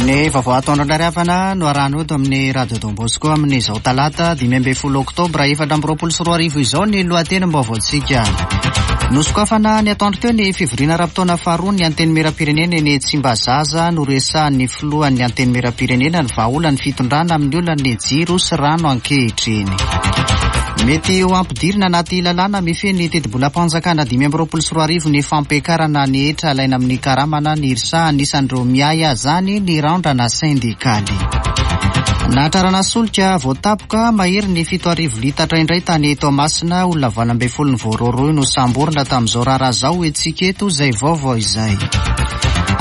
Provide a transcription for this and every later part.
Ny vaovao atoandro indray ry havana no arahana eto amin'ny Radio Don Bosco amin'izao talata 15 oktobra 2024 izao ny lohatenim-baovaontsika. Nosokafana ny atoandro teo ny fivoriana ara-potoana faharoa ny Antenimierampirenena eny Tsimbazaza noresahan'ny filohan'ny Antenimierampirenena ny vahaolan'ny fitondrana amin'ny olan'ny jiro sy rano ankehitriny. Mety ho ampidirina anaty lalàna mifehy ny tetibolam-panjakana 2025 ny fampiakarana ny hetra alaina amin'ny karamana ny IRSA anisan'ireo miahy azany ny randrana sendikaly. Nahatrarana solika voatapoka mahery ny 7000 litatra indray tany Toamasina, olona 18 ny voarohirohy nosamborina tamin'izao raharaha izao hetsika eto izay vaovao izay.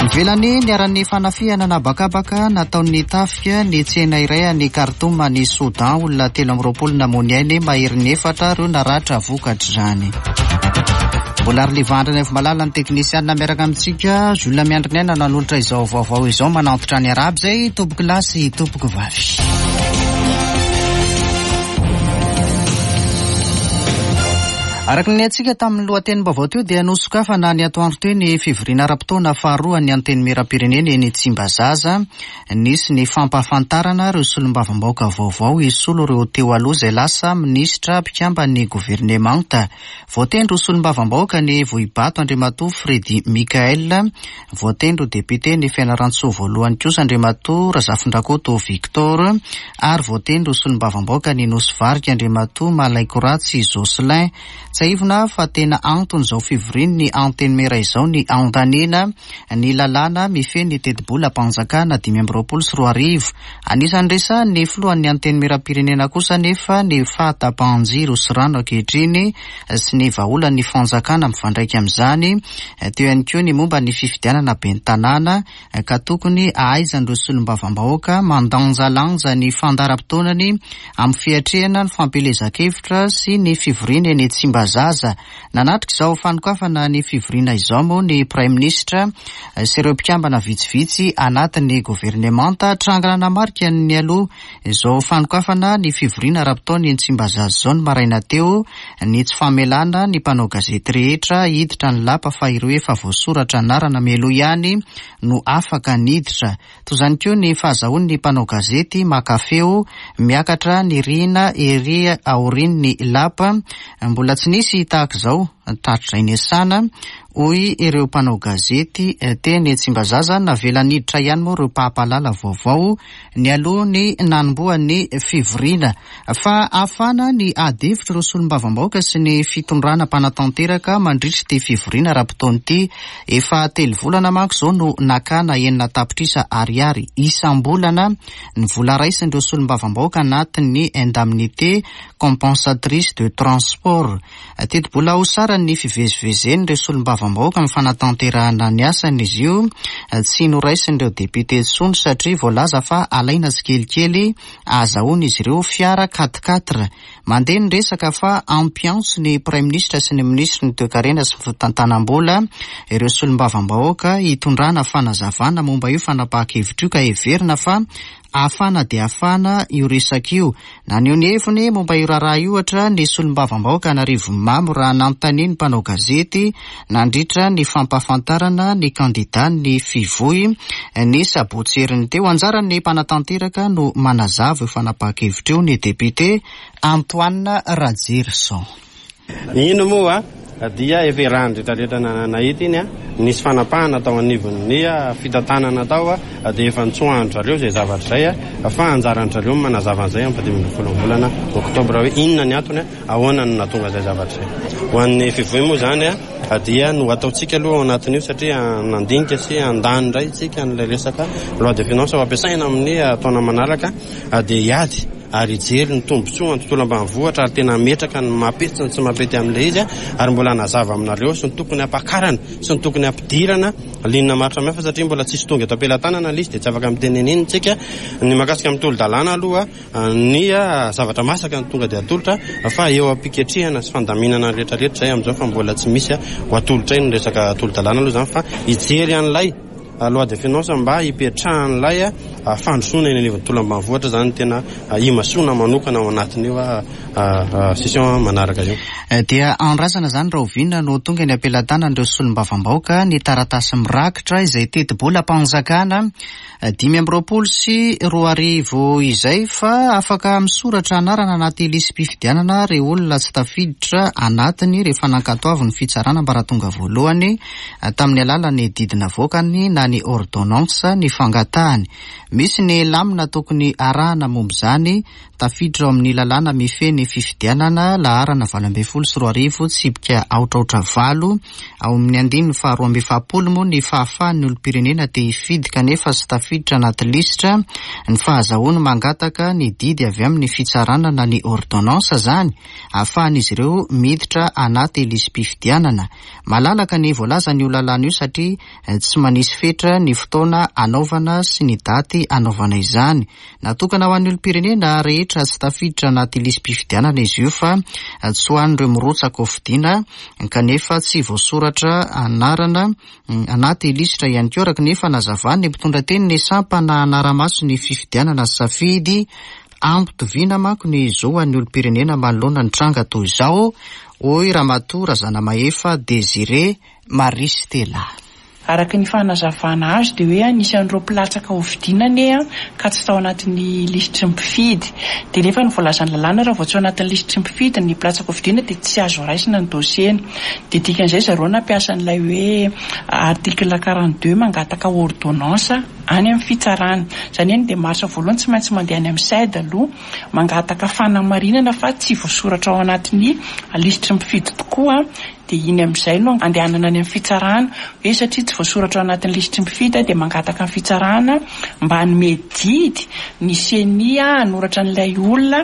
Ivelany niharan'ny fanafihana an'habakabaka nataon'ny tafika ny tsena iray any Khartoum any Soudan, olona 23 namoy ny ainy, maherin'ny efatra ireo naratra vokatr'izany. Mbola Arliva Andrianaivomalala ny teknisianina miaraka amintsika, Jules Miandriniaina nanolotra izao vaovao izao, manantitra ny arahaba izay tompoko lahy sy tompoko vavy. Araka ny antsika tamin'ny lohatenim-baovao teo dia nosokafana ny atoandro teo ny fivoriana ara-potoana faharoa an'ny Antenimierampirenena eny Tsimbazaza. Nisy ny fampahafantarana ireo solombavambahoaka vaovao hisolo ireo teo aloha izay lasa minisitra mpikamban'ny governemanta. Voatendry ho solombavambahoaka ny Vohibato Andriamatoa Freddy Michael, voatendry ho depiote ny Fianarantsoa voalohany kosa Andriamatoa Razafindrakoto Victor ary voatendry ho solombavambahoaka ny Nosy Varika Andriamatoa Malaikoratsy Jocelyn. Tsiahivina fa tena anton'izao fivorian'ny Antenimiera izao ny handaniana ny lalàna mifehy ny tetibolam-panjakana 2025. Anisan'ny resahan'ny filohan'ny Antenimierampirenena kosa anefa ny fahatapahan-jiro sy rano ankehitriny sy ny vahaolan'ny fanjakana mifandraika amin'izany. Teo ihany koa ny momba ny fifidianana ben'ny tanàna ka tokony hahaizan'ireo solombavambahoaka mandanjalanja ny fandaharam-potoanany amin'ny fiatrehana ny fampielezan-kevitra sy ny fivoriana eny Tsimbazaza. Nanatrika izao fanokafana ny fivoriana izao moa ny Praiminisitra sy ireo mpikambana vitsivitsy anatin'ny governemanta. Tranga nanamarika ny nialoha izao fanokafana ny fivoriana ara-potoana eny Tsimbazaza izao ny maraina teo ny tsy famelana ny mpanao gazety rehetra hiditra ny lapa fa ireo efa voasoratra anarana mialoha ihany no afaka niditra. Toy izany koa ny fahazahoan'ny mpanao gazety maka feo miakatra ny rihina ery aorian'ny lapa. Mbola tsy nisy tahaka izao hatrizay niasana, hoy ireo mpanao gazety teny Tsimbazaza. Navela niditra ihany moa ireo mpampalala vaovao nialoha ny nanombohan'ny fivoriana. Fa hafana ny ady hevitr'ireo solombavambahoaka sy ny fitondrana mpanatanteraka mandritra ity fivoriana ara-potoana ity. Efa telo volana manko izao no nakana 6 tapitrisa ariary isam-bolana ny vola raisin'ireo solombavambahoaka anatin'ny indemnité compensatrice de transport. Tetibola ho saran'ny fivezivezen'ireo solombavambahoaka amin'ny fanatanterahana ny asany izy io. Tsy noraisin'ireo depiote intsony satria voalaza fa alaina tsikelikely ahazahoan'izy ireo fiara quatre quatre. Mandeha ny resaka fa hampiantso ny Praiminisitra sy ny Minisitry ny Toekarena sy ny Fitantanam-bola ireo solombavambahoaka hitondrana fanazavana momba io fanapahan-kevitra io ka heverina fa hafana dia hafana io resaka io. Naneho ny heviny momba io raharaha io ohatra ny solombavambahoaka Anarivonimamo raha nanontanian'ny mpanao gazety nandritra ny fampahafantarana ny kandidàn'ny Fivoy ny sabotsy heriny teo. Anjaran'ny mpanatanteraka no manazava io fanapahan-kevitra io ny député Antoine Rajerison. Iny moa dia efa iarahan'ny rehetra rehetra nahita iny, nisy fanapahana tao anivon'ny fitantanana tao dia efa nitsoahan-dry zareo izay zavatra izay fa anjaran-dry zareo ny manazava an'izay amin'ny faha 15 ny volana oktobra hoe inona ny antony, ahoana no nahatonga izay zavatra izay. Ho an'ny Fivoy moa izany dia no ataontsika aloha ao anatin'io satria nandinika sy handany indray isika an'ilay resaka loi de finance ho ampiasaina amin'ny taona manaraka dia hiady ary hijery ny tombontsoa ny tontolo ambanivohitra ary tena hametraka ny mampety sy ny tsy mampety amin'ilay izy ary mbola hanazava aminareo sy ny tokony hampakarana sy ny tokony hampidirana ligne maro samihafa satria mbola tsisy tonga eto am-pelatanana ilay izy dia tsy afaka miteny an'iny isika. Ny mahakasika amin'ny tolo-dalàna aloha ny zavatra masaka no tonga dia atolotra fa eo am-piketrehana sy fandaminana ny rehetra rehetra izay amin'izao fa mbola tsy misy ho atolotray ny resaka tolo-dalàna aloha izany fa hijery an'ilay. loi de finance mba hipetrahan'ilay fandrosoana eny anivon'ny tontolo ambanivohitra izany tena imasoana manokana ao anatin'io session manaraka io. Dia andrasana izany rahoviana no tonga eny am-pelatanan'ireo solombavambahoaka ny taratasy mirakitra izay tetibolam-panjakana 2025 izay fa afaka misoratra anarana anaty lisi-pifidianana ireo olona tsy tafiditra anatiny rehefa nankatoavin'ny fitsarana ambaratonga voalohany tamin'ny alalan'ny didy navoakany na ny ordonnance ny fangatahany. Misy ny lamina tokony arahana momba izany Tafiditra ao amin'ny lalàna mifehy ny fifidianana, laharana 2018, tsipika aotraotra valo, ao amin'ny andininy faha 42 moa ny fahafahan'ny olom-pirenena te hifidy kanefa tsy tafiditra anaty lisitra, ny fahazahoany mangataka ny didy avy amin'ny fitsarana na ny ordonnance izany, ahafahan'izy ireo miditra anaty lisi-pifidianana. Malalaka ny voalazan'io lalàna io satria tsy manisy fetra ny fotoana anaovana sy ny daty anaovana izany. Natokana ho an'ny olom-pirenena rehetra tsy tafiditra anaty lisi-pifidianana izy io fa tsy ho an'ireo mirotsaka hofidiana kanefa tsy voasoratra anarana anaty lisitra ihany koa, araka ny fanazavan'ny mpitondra tenin'ny sampana hanara-maso ny fifidianana safidy. Ampitoviana manko ny zo ho an'ny olom-pirenena manoloana ny tranga toy izao, hoy Ramatoa Razanamahefa Désiré Marie Stella. Araka ny fanazavana azo dia hoe anisan'ireo mpilatsaka hofidiana anie ka tsy tao anatin'ny lisitry ny mpifidy. Dia nefa ny voalazan'ny lalàna raha vao tsy ao anatin'ny lisitry ny mpifidy ny mpilatsaka hofidiana dia tsy azo raisina ny dossier-ny. Dia dikan'izay zareo nampiasa an'ilay hoe article 42 mangataka ordonnance any amin'ny fitsarana. Izany hoe ny démarche voalohany tsy maintsy mandeha any amin'ny CED aloha mangataka fanamarinana fa tsy voasoratra ao anatin'ny lisitry ny mpifidy tokoa Dia iny amin'izay no andehanana any amin'ny fitsarana, hoe satria tsy voasoratra ao anatin'ny lisitry ny mpifidy aho dia mangataka ny fitsarana mba hanome didy ny ceni hanoratra an'ilay olona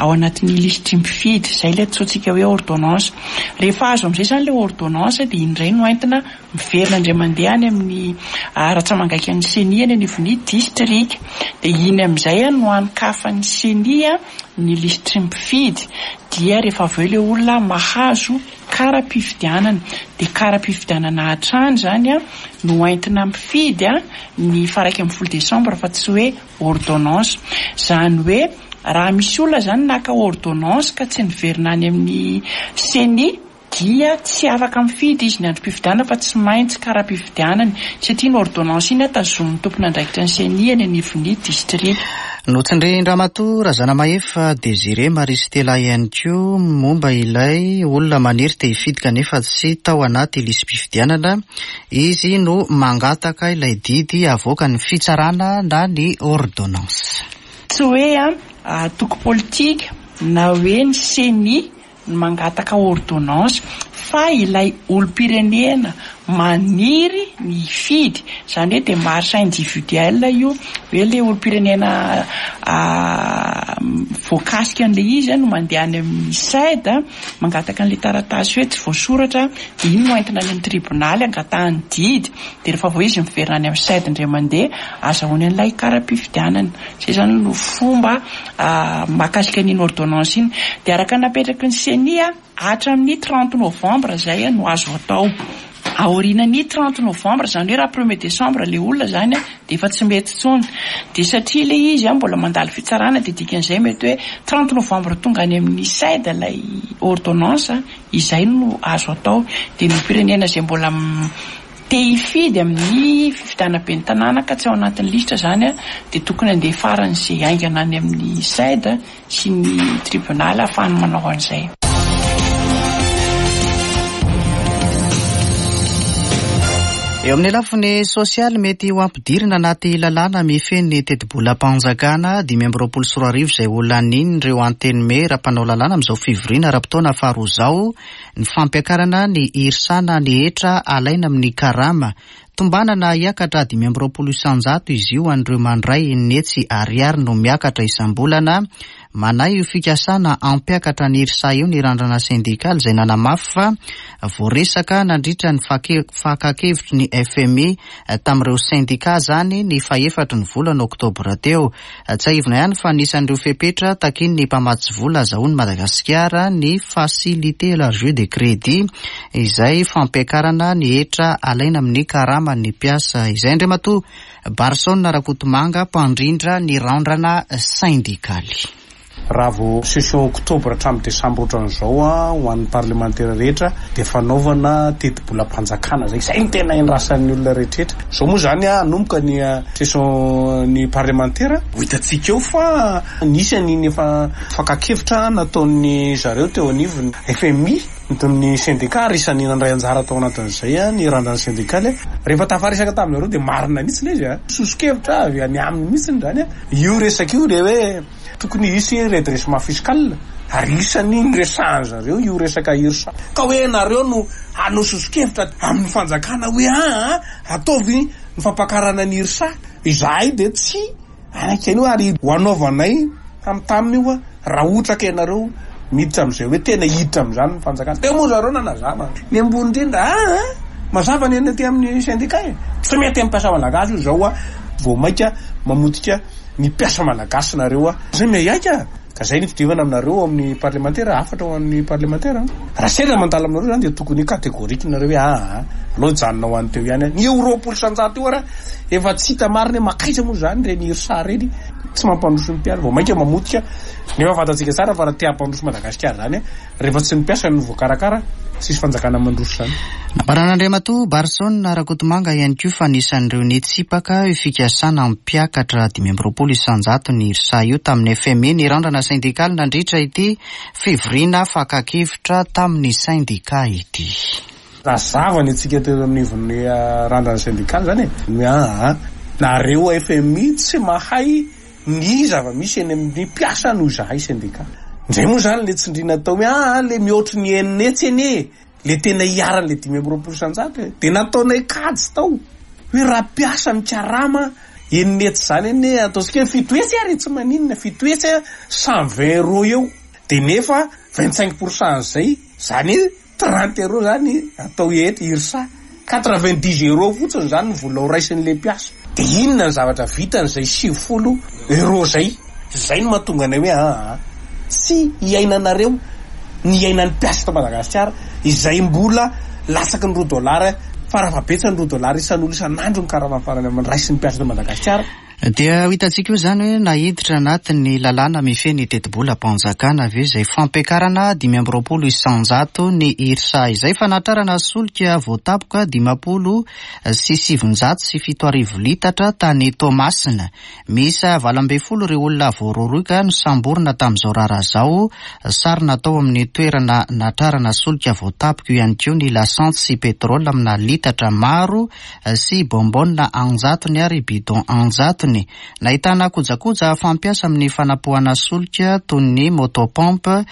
ao anatin'ny lisitry ny mpifidy. Izay ilay antsointsika hoe ordonnance. Rehefa azo amin'izay izany ilay ordonnance dia iny indray no entina miverina indray mandeha any amin'ny ratsamangaikan'ny ceni any anivon'ny distrika. Dia iny amin'izay no hanokafan'ny ceni ny lisitry ny mpifidy dia rehefa avy eo ilay olona mahazo kara-pifidianana dia kara-pifidianana hatrany izany no entina mifidy ny faha 11 desambra fa tsy hoe ordonnance. Izany hoe raha misy olona izany naka ordonnance ka tsy niverina any amin'ny ceni dia tsy afaka mifidy izy ny androm-pifidianana fa tsy maintsy kara-pifidianany satria iny ordonnance iny tazomin'ny tompon'andraikitra ny ceni eny anivon'ny distrika. Notsindrin-dRamatoa Razanamahefa Désiré Marie Stella ihany koa momba ilay olona maniry te hifidy kanefa tsy tao anaty lisi-pifidianana. Izy no mangataka ilay didy avoakan'ny fitsarana na ny ordonnance. Tsy hoe antoko politika na hoe ny ceni ny mangataka ordonnance fa ilay olom-pirenena maniry ny hifidy, izany hoe démarche individuelle io, hoe ilay olom-pirenena voakasika an'ilay izy no mandeha any amin'ny CED mangataka an'ilay taratasy hoe tsy voasoratra, dia iny no entina any amin'ny tribonaly angatahany didy, dia rehefa avy eo izy miverina any amin'ny CED indray mandeha azahoany an'ilay kara-pifidianana. Izay izany no fomba mahakasika an'iny ordonnance iny. Dia araka ny napetraky ny ceni, hatramin'ny 30 novembre izay no azo atao. Aorianan'ny 30 novembre, izany hoe raha premier décembre ilay olona izany dia efa tsy mety intsony. Dia satria ilay izy mbola mandalo fitsarana dia dikan'izay mety hoe 30 novembre tonga any amin'ny CED ilay ordonnance, izay no azo atao. Dia ny olom-pirenena izay mbola Te hifidy amin'ny fifidianana ben'ny tanàna ka tsy ao anatin'ny lisitra izany dia tokony handeha faran'izay haingana any amin'ny CED sy ny tribonaly ahafahany manao an'izay. Eo amin'ny lafiny sosialy, mety ho ampidirina anaty lalàna mifehy ny tetibolam-panjakana 2025 izay ho lanian'ireo antenimiera mpanao lalàna amin'izao fivoriana ara-potoana faharoa izao Ny fampiakarana ny hirsana ny hetra alaina amin'ny karama. Tombanana hiakatra 25% izy io an'ireo mandray enina hetsy ariary no miakatra isam-bolana. Manahy io fikasana hampiakatra ny IRSA io ny randrana sendikaly izay nanamafy fa voaresaka nandritra ny fakan-kevitry ny fmi tamin'ireo sendika izany ny fahefatry ny volana oktobra teo. Tsiahivina ihany fa anisan'ireo fepetra takian'ny mpamatsy vola azahoan'i Madagasikara ny facilité élargie de crédit izay fampiakarana ny hetra alaina amin'ny karaman'ny mpiasa izay Andriamatoa Barson Rakotomanga, mpandrindra ny randrana sendikaly. Raha vao session oktobra hatramin'ny desambra ohatran'izao ho an'ny parlemantera rehetra dia fanaovana tetibolam-panjakana zay. Izay no tena endrasan'ny olona rehetrretra. Izao moa izany hanomboka ny session ny parlemantera, ho hitantsika eo fa nisy an'iny efa fakan-kevitra nataon'ny zareo teo anivon'ny fmi. Ny sendika ary isan'ny nandray anjara tao anatin'izay ny randran'ny sendikaly. Rehefa tafaresaka tamin'zareo dia marina mihitsy ilay izy a! Soso-kevitra avy any aminy mihitsy izany io resaka io ilay hoe tokony hisy redressement fiscal ary isan'ny niresahan-zareo io resaka IRSA. Ka hoe nareo no hanao soso-kevitra amin'ny fanjakana hoe aa ataovy ny fampakarana ny IRSA. Izahay dia tsy Hanaiky an'io ary ho anaovanay tamtaminy io raha ohatra ka ianareo miditra amin'izay hoe tena hiditra amin'izany ny fanjakana. Teo moa zareo nanazava ny ambony indrindra aa mazava ny any aty amin'ny syndicat e. Tsy mety amin'ny mpiasa malagasy io izao vao maika mamotika ny mpiasa malagasy nareo a. Zay miaiaika a. Ka zay ny fidirana aminareo ao amin'ny parlemantera, hafatra ho an'ny parlemantera an. Raha sendra mandalo aminareo zany dia tokony catégorique nareo hoe aa aleo hijanona ho any teo ihany an. Ny eo 20% io ara efa tsy hita marina hoe makaiza moa zany ireny IRSA ireny, tsy mampandroso ny mpiasa, vao mainka mamotika, nefa fantatsika tsara fa raha te hampandroso Madagasikara zany an, Rehefa tsy ny mpiasa no voakarakara, tsisy fanjakana mandroso izany. Nambaran'Andriamatoa Barson Rakotomanga ihany koa fa anisan'ireo nitsipaka io fikasana hampiakatra 25% ny IRSA io tamin'ny fmi ny randrana sendikaly nandritra ity fivoriana fakan-kevitra tamin'ny sendika ity. Nazava ny antsika teo anivon'ny randrana sendikaly izany e! Ny hoe aa nareo fmi tsy mahay Ny zava-misy eny amin'ny mpiasa noho izahay sendika. Indray moa izany le tsindriana atao hoe aa le mihoatry ny 600 anie e! Le tena iharan'le 25% e! Dia nataonay kajy tao hoe raha mpiasa mikarama 600 izany anie ataontsika hoe 700 ary e! Tsy maninona 700 a 120 euros eo dia nefa 25 pour cent an'izay izany hoe 30 euros zany atao eto IRSA, 90 euros fotsiny zany ny vola ho raisin'ilay mpiasa. Dia inona ny zavatra vitany izay 90 euros zay? Zay no mahatonga anay hoe aa tsy hiainanareo ny hiainan'ny mpiasa eto Madagasikara izay mbola latsaky ny roa dollars farafahabetsany roa dollars isan'olo isan'andro ny karama farany raisin'ny mpiasa eto Madagasikara. Dia ho hitantsika eo izany hoe naiditra anatin'ny lalàna mifehy ny tetibolam-panjakana ve izay fampiakarana 25% ny IRSA izay fanatrarana solika voatapoka 70.70 litatra tany Toamasina. Miisa 18 ireo olona voarohirohy ka nosamborina tamin'izao raharaha izao. Sary natao amin'ny toerana natrarana solika voatapoka io ihany koa ny lasantsy sy pétrole amina litatra maro sy bonbonne anjatony ary bidon anjatony. Nahitana kojakoja fampiasa amin'ny fanapohana solika toy ny moto-pompe,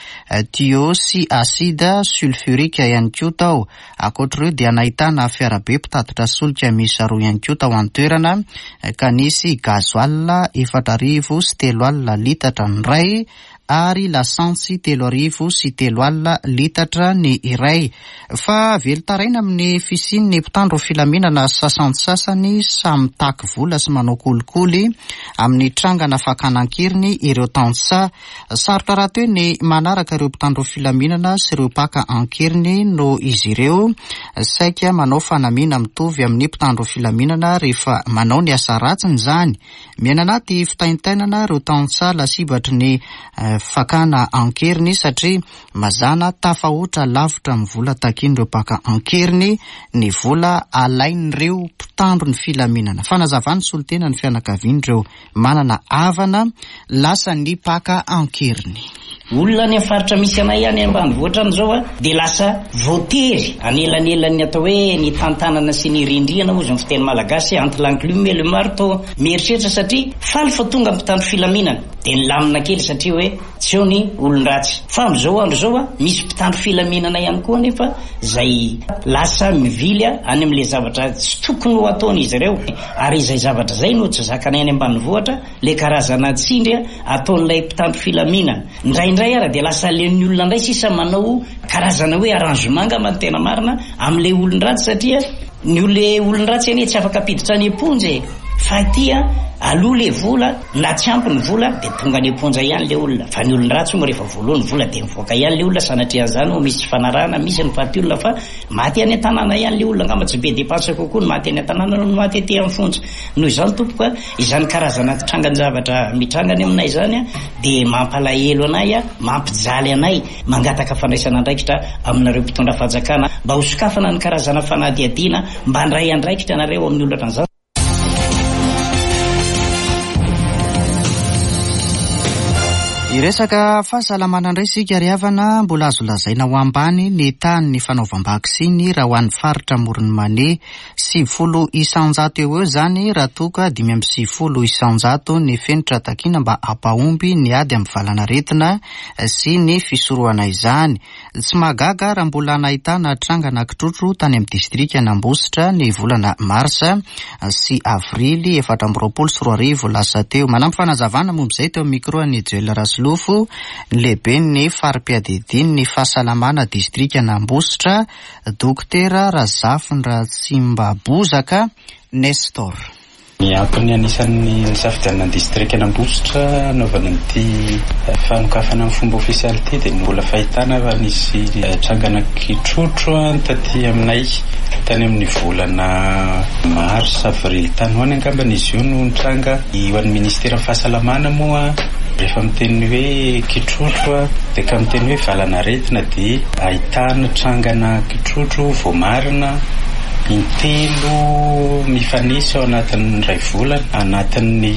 tuyau sy acide sulfurique ihany koa tao. Ankoatr'ireo dia nahitana fiarabe mpitatitra solika miisa roa ihany koa tao an-toerana ka nisy gasoil 3040 litatra ny iray ary lasantsy 3003 litatra ny iray. Fa velon-taraina amin'ny fisian'ny mpitandro filaminana sasantsasany samy mitaky vola sy manao kolikoly amin'ny trangana fakana an-keriny ireo tantsaha. Sarotra rahateo ny manaraka ireo mpitandro filaminana sy ireo mpaka an-keriny noho izy ireo saika manao fanamiana mitovy amin'ny mpitandro filaminana rehefa manao ny asa ratsiny izany. Miaina anaty fitaintainana ireo tantsaha lasibatry ny fakana an-keriny satria mazàna tafahoatra lavitra amin'ny vola takian'ireo mpaka an-keriny ny vola alain'ireo mpitandro ny filaminana. Fanazavan'ny solontenan'ny fianakavian'ireo manana havana lasan'ny mpaka an-keriny. Olona any amin'ny faritra misy anay any ambanivohitra any izao dia lasa voatery anelanelan'ny atao hoe ny tantanana sy ny rindrihana hozy ny fiteny malagasy entre l'enclume et le marteau. Mieritreritra satria faly fa tonga mpitandro filaminana. Dia nilamina kely satria hoe tsy eo ny olon-dratsy. Fa amin'izao andro izao, misy mpitandro filaminana ihany koa anefa izay lasa mivily any amin'ilay zavatra tsy tokony ho ataon'izy ireo. Ary izay zavatra izay no tsy zakanay any ambanivohitra, ilay karazana tsindry ataon'ilay mpitandro filaminana. Indraindray ara dia lasa aleon'ny olona indray sisa manao karazana hoe arrangement angamba no tena marina amin'ilay olon-dratsy satria ny olona olon-dratsy anie tsy afaka ampiditra any am-ponja e! Fa aty aloha le vola na tsy ampy ny vola dia tonga any am-ponja ihany le olona fa ny olon-dratsy moa rehefa voaloa ny vola dia mivoaka ihany le olona sanatria an'izany moa misy tsy fanarahana misy ny faty olona fa maty any an-tanàna ihany le olona angamba tsy be dépense kokoa ny maty any an-tanàna noho ny maty aty amin'ny fonja noho izany tompoko a izany karazana trangan-javatra mitranga any aminay izany a dia mampalahelo anay a mampijaly anay mangataka fandraisana andraikitra aminareo mpitondra fanjakana mba hosokafana ny karazana fanadihadiana mba handray andraikitra anareo amin'ny olona ohatran'izany. Hiresaka fahasalamana indray isika ry havana, mbola azo lazaina ho ambany ny tahan'ny fanaovam-baksiny raha ho an'ny faritra Amoron'i Mania. 90 isanjato eo ho eo izany raha toa ka 95 isanjato ny fenitra takiana mba hampahomby ny ady amin'ny valan'aretina sy ny fisorohana izany. Tsy mahagaga raha mbola nahitana trangana kitrotro tany amin'ny distrikan'Ambositra ny volana marsa sy avrily 2024 lasa teo. Manampy fanazavana momba izay teo amin'ny micro an'i Joel Rasolofo ny lehiben'ny fari-piadidian'ny fahasalamana distrikan'Ambositra, Dokotera Razafindratsimbabozaka Nestor. Ny antony anisan'ny nisafidianana ny distrikan'Ambositra hanaovana an'ity fanokafana amin'ny fomba ofisialy ity dia ny mbola fahitana fa nisy trangana kitrotro taty aminay tany amin'ny volana mars avril tany ho any angambany izy io no nitranga. Ho an'ny ministeran'ny fahasalamana moa rehefa miteny hoe kitrotro dia ka miteny hoe valan'aretina dia ahitana trangana kitrotro voamarina intelo mifanesy ao anatin'ny iray volana anatin'ny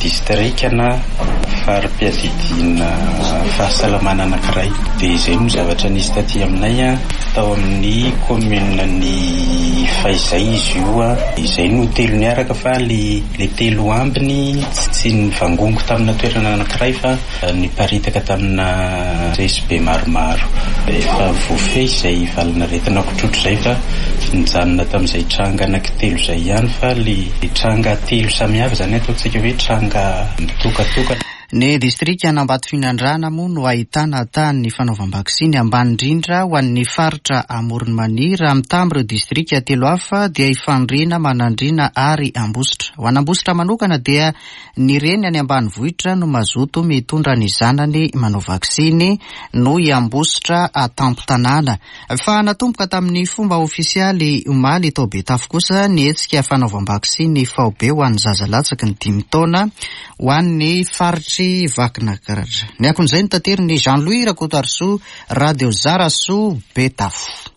distrika na fari-piadidiana fahasalamana anankiray. Dia izay no zavatra nisy taty aminay tao amin'ny commune ny Fahizay izy io. Izay no telo niaraka fa le telo ambiny tsy nivangongo tamina toerana anankiray fa Niparitaka tamina resy-be maromaro. Efa voafehy izay valin'aretina kitrotro izay fa nijanona tamin'izay tranga anankitelo izay ihany fa ilay tranga telo samihafa izany ataontsika hoe tranga mitokatokana. Ny distrikan'Ambatofinandrahana moa no ahitana tahan'ny fanaovam-baksiny ambany indrindra ho an'ny faritra Amoron'i Mania raha mitaha amin'ireo distrika telo hafa dia i Fandriana, Manandriana ary Ambositra. Ho an'Ambositra manokana dia Ny reny any ambanivohitra no mazoto mitondra ny zanany manao vaksiny noho i Ambositra tampon-tanàna. Fa natomboka tamin'ny fomba ofisialy omaly tao Betafo kosa ny hetsika fanaovam-baksiny faobe ho an'ny zaza latsaky ny dimy taona ho an'ny faritr'i Vakinakaratra. Ny akon'izay notaterin'i Jean Louis Rakotoarisoa, Radio Zarasoa, Betafo.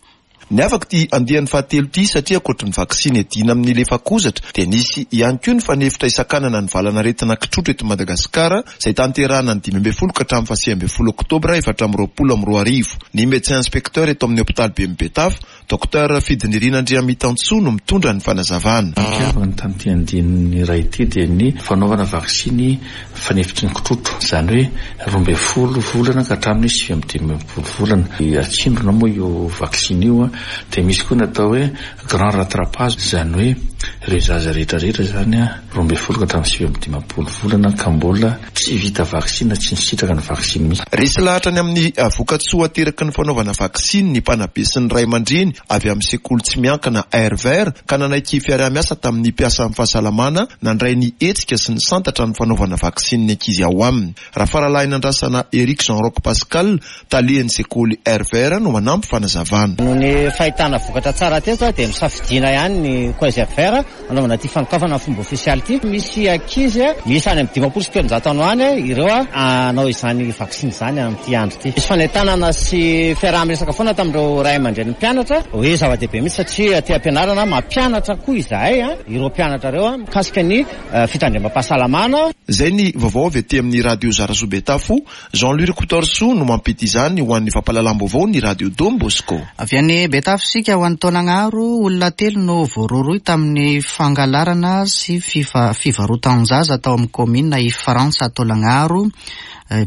Niavaka ity andiany fahatelo ity satria ankoatry ny vaksiny iadiana amin'ny lefakozatra dia nisy ihany koa ny fanefitra hisakanana ny valan'aretina kitrotro eto Madagasikara izay tanterahana ny 15 ka hatramin'ny faha 19 oktobra 2024. Ny Médecin Inspecteur eto amin'ny hopitaly Bemi Betafo, Docteur Fidinirina Andriamitantsoa no mitondra ny fanazavana. Nampiavaka tamin'ity andiany iray ity dia ny fanaovana vaksiny fanefitry ny kitrotro, izany hoe 12 volana ka hatramin'ny 59 volana. Atsindrona moa io vaksiny io, dia misy koa ny atao hoe grand rattrapage, izany hoe ireo zaza rehetra rehetra izany 12 ka hatramin'ny 59 volana ka mbola tsy vita vaksiny na tsy nisitraka ny vaksiny mihitsy. Resy lahatra ny amin'ny vokatsoa ateraky ny fanaovana vaksiny ny mpanabe sy ny ray aman-dreny avy amin'ny sekoly tsy miankina Air Vert ka nanaiky fiaraha-miasa tamin'ny mpiasan'ny fahasalamana nandray ny hetsika sy nisantatra ny fanaovana vaksiny ny ankizy ao aminy. Rafaralahinandrasana Eric Jean Roch Pascal, talehan'ny sekoly Air Vert no manampy fanazavana. Noho ny fahitana vokatra tsara teto dia nosafidiana ihany ny Collège Air Vert hanaovana ity fanokafana amin'ny fomba ofisialy ity. Misy ankizy miisa any amin'ny 350 any ho any ireo hanao izany vaksiny izany amin'ity andro ity. Nisy fanentanana sy fiaraha-miresaka foana tamin'ireo ray aman-drenin'ny mpianatra hoe zava-dehibe mihitsy satria aty am-pianarana mampianatra koa izahay ireo mpianatra ireo mikasika ny fitandremam-pahasalamana. Izay ny vaovao avy aty amin'ny Radio Zarasoa Betafo. Jean Louis Rakotoarisoa no mampita izany ho an'ny fampahalalam-baovao ny Radio Don Bosco. Avy any Betafo isika ho any Taolagnaro, olona telo no voarohirohy tamin'ny. tamin'ny fangalarana sy fivarotan-jaza tao amin'ny kaominina Ifrantsa Taolagnaro.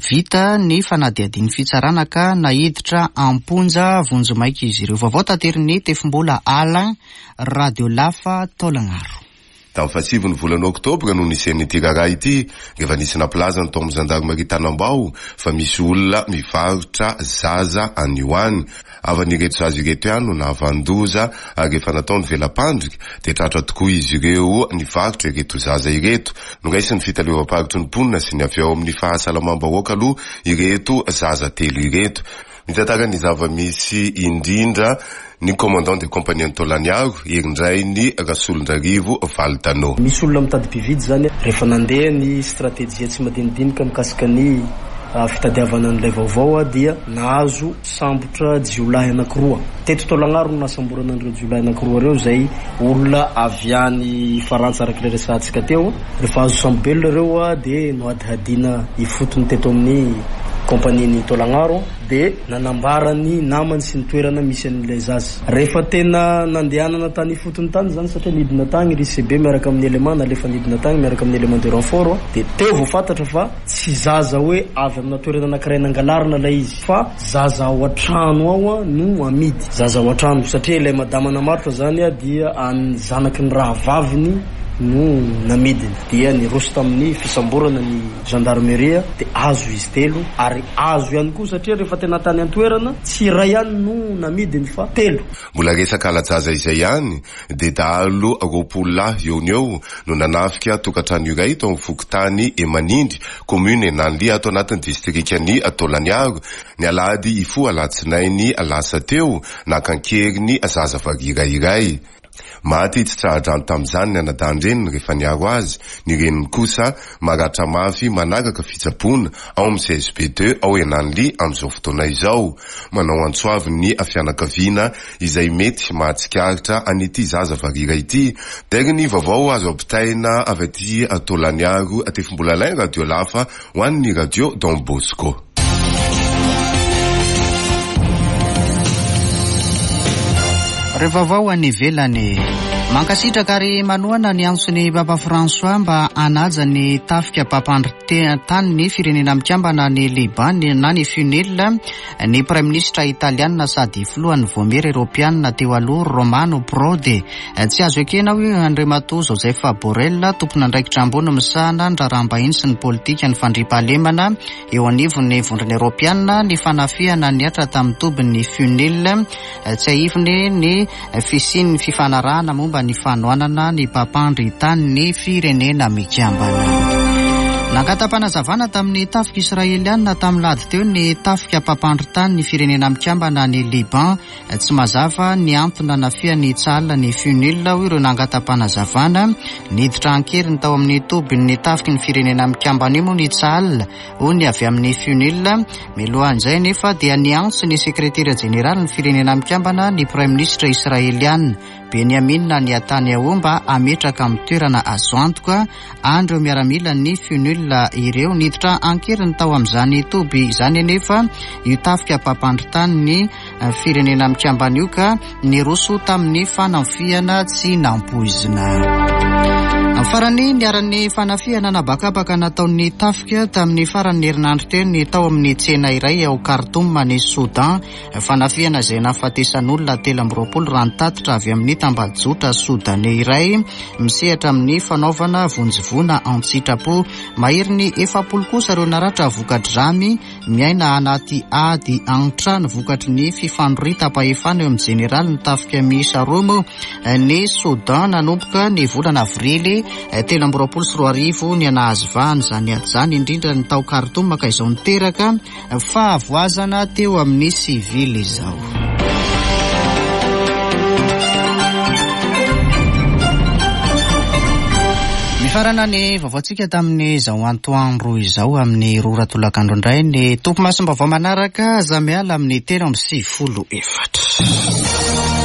Vita ny fanadihadian'ny fitsarana ka naiditra am-ponja vonjimaika izy ireo. Vaovao taterin'ny Tefimbola Alain, Radio Lafa Taolagnaro. Tamin'ny fahasivy ny volana oktobra no nisian'ity raharaha ity, rehefa nisy nampilaza ny tao amin'ny zandarimaria Tanambao fa misy olona mivarotra zaza any ho any. Havan'ireto zaza ireto ihany no nahavanon-doza ary rehefa natao ny vela-pandrika dia tratra tokoa izy ireo nivarotra ireto zaza ireto. Noraisin'ny fitaleovam-paritry ny mponina sy ny avy ao amin'ny fahasalamam-bahoaka aloha ireto zaza telo ireto. Mitantara ny zava-misy indrindra ny commandant de compagnie an'i Taolagnaro, Herindrainy Rasolondrarivo Valtano. Misy olona mitady mpividy izany rehefa nandeha ny stratejia tsy madinidinika mikasika ny fitadiavana an'ilay vaovao dia nahazo sambotra jiolahy anankiroa. Teto Taolagnaro no nahasamborana an'ireo jiolahy anankiroa ireo izay olona avy any Farantsa araka ilay resahantsika teo. Rehefa azo sambo-belona ireo dia nohadihadiana ifotony teto amin'ny kaompanian'i Taolagnaro dia nanambara ny namany sy ny toerana misy an'ilay zaza. Rehefa tena nandehanana tany ifotony tany izany satria nidina tany ry CB miaraka amin'ny élément nalefa nidina tany miaraka amin'ny élément de renfort dia teo vao fantatra fa tsy zaza hoe avy amina toerana anankiray nangalarina ilay izy fa zaza ao an-trano ao no amidy. Zaza ao an-trano satria ilay madama namarotra izany dia an'ny zanaky ny rahavaviny no namidiny. Dia niroso tamin'ny fisamborana ny gendarmerie dia azo izy telo ary azo ihany koa satria rehefa tena tany an-toerana tsy iray ihany no namidiny fa telo. Mbola resaka hala-jaza izay ihany dia dahalo 20 lahy eo no eo no nanafika tokantrano iray tao amin'ny fokontany Emanindry, commune Enanly ato anatin'ny distrikan'i Taolagnaro, ny alahady hifoha alatsinainy lasa teo, naka an-keriny zaza varira iray. Maty tsy tsaha-drano tamin'izany ny anadahin-dreniny rehefa niaro azy, ny reniny kosa maratra mafy manaraka fitsaboana ao amin'ny CSB ii ao Enanly amin'izao fotoana izao. Manao antso avo ny fianakaviana izay mety mahatsikaritra an'ity zaza varira ity. Dairy ny vaovao azo ampitaina avy aty Taolagnaro, Tefimbolalain Radio Lafa ho an'ny Radio Don Bosco. Ireo vaovao any ivelany. Mankasitraka ary manohana ny antson'ny Papa François mba hanaja ny tafika mpampandry tany ny Firenena Mikambana any Liban na ny FUNIL ny Praiminisitra Italiana sady filohan'ny Vaomiera Eoropeanina teo aloha Romano Prodi. Tsy azo ekena hoy Andriamatoa Joseph Borrell, tompon'andraikitra ambony misahana ny raharaham-bahiny sy ny politikan'ny fandriampahalemana eo anivon'ny Vondrona Eoropeanina ny fanafihana nihatra tamin'ny tobin'ny FUNIL. Tsiahiviny ny fisian'ny fifanarahana momba ny fanohanana ny mpampandry tany ny Firenena Mikambana. Nangata-panazavana tamin'ny tafika Israelianina tamin'ny lahady teo ny tafika mpampandry tany ny Firenena Mikambana any Liban. Tsy mazava ny antony nanafihan'ny Tsahal ny FUNIL, hoy ireo nangata-panazavana. Niditra an-keriny tao amin'ny tobin'ny tafiky ny Firenena Mikambana io moa ny Tsahal, hoy ny avy amin'ny FUNIL. Mialohan'izay anefa dia niantso ny sekretera jeneralin'ny Firenena Mikambana ny praiminisitra israeliana, Benyamin Netanyahu mba hametraka amin'ny toerana azo antoka an'ireo miaramilan'ny FUNIL ireo. Niditra an-keriny tao amin'izany toby izany anefa io tafika mpampandry tany ny Firenena Mikambana io ka niroso tamin'ny fanafihana tsy nampoizina. Farany, niharan'ny fanafihana an'habakabaka nataon'ny tafika tamin'ny faran'ny herinandro teo ny tao amin'ny tsena iray ao Khartoum any Soudan. Fanafihana izay nahafatesan'olona 23 raha ny tatitra avy amin'ny tambajotra Soudaney iray misehatra amin'ny fanaovana vonjy voina an-tsitrapo. Maherin'ny 40 kosa ireo naratra vokatr'izany. Miaina anaty ady an-trano vokatry ny fifanoritam-pahefana eo amin'ny jeneraly ny tafika miisa roa moa ny Soudan nanomboka ny volana avrily 2023 ny nahazo vahana izany ady izany indrindra ny tao Khartoum ka izao niteraka fahavoazana teo amin'ny sivily izao. Mifarana ny vaovaontsika tamin'izao antoandro izao amin'ny roa ora tolakandro indray ny tompomasom-baovao manaraka aza miala amin'ny 93 4.